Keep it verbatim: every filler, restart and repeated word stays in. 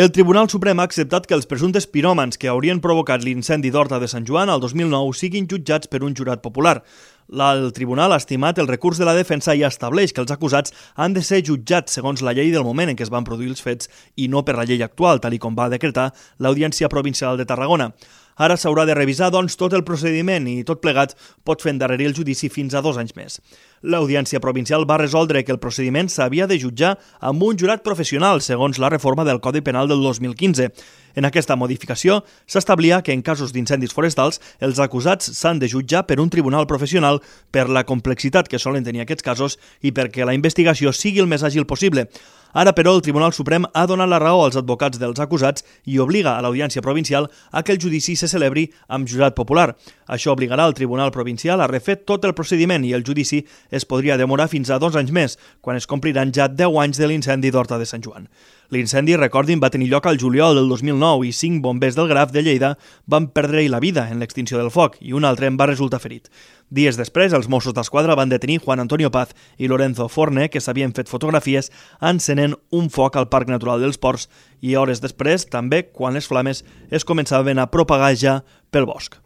El Tribunal Suprem ha acceptat que els presumptes piròmans que haurien provocat l'incendi d'Horta de Sant Joan al dos mil nou siguin jutjats per un jurat popular. El tribunal ha estimat el recurs de la defensa i estableix que els acusats han de ser jutjats segons la llei del moment en què es van produir els fets i no per la llei actual, tal i com va decretar l'Audiència Provincial de Tarragona. Ara s'haurà de revisar, doncs, tot el procediment i tot plegat pot fer endarrerir el judici fins a dos anys més. L'Audiència Provincial va resoldre que el procediment s'havia de jutjar amb un jurat professional, segons la reforma del Codi Penal del dos mil quinze. En aquesta modificació s'establia que en casos d'incendis forestals els acusats s'han de jutjar per un tribunal professional per la complexitat que solen tenir aquests casos i perquè la investigació sigui el més àgil possible. Ara, però, el Tribunal Suprem ha donat la raó als advocats dels acusats i obliga a l'Audiència Provincial a que el judici se celebri amb jurat popular. Això obligarà el Tribunal Provincial a refer tot el procediment i el judici es podria demorar fins a dos anys més, quan es compliran ja deu anys de l'incendi d'Horta de Sant Joan. L'incendi, recordin, va tenir lloc al juliol del dos mil nou i cinc bombers del Graf de Lleida van perdre la vida en l'extinció del foc i un altre en va resultar ferit. Dies després, els Mossos d'Esquadra van detenir Juan Antonio Paz i Lorenzo Forne, que s'havien fet fotografies encenent un foc al Parc Natural dels Ports i hores després, també, quan les flames es començaven a propagar ja pel bosc.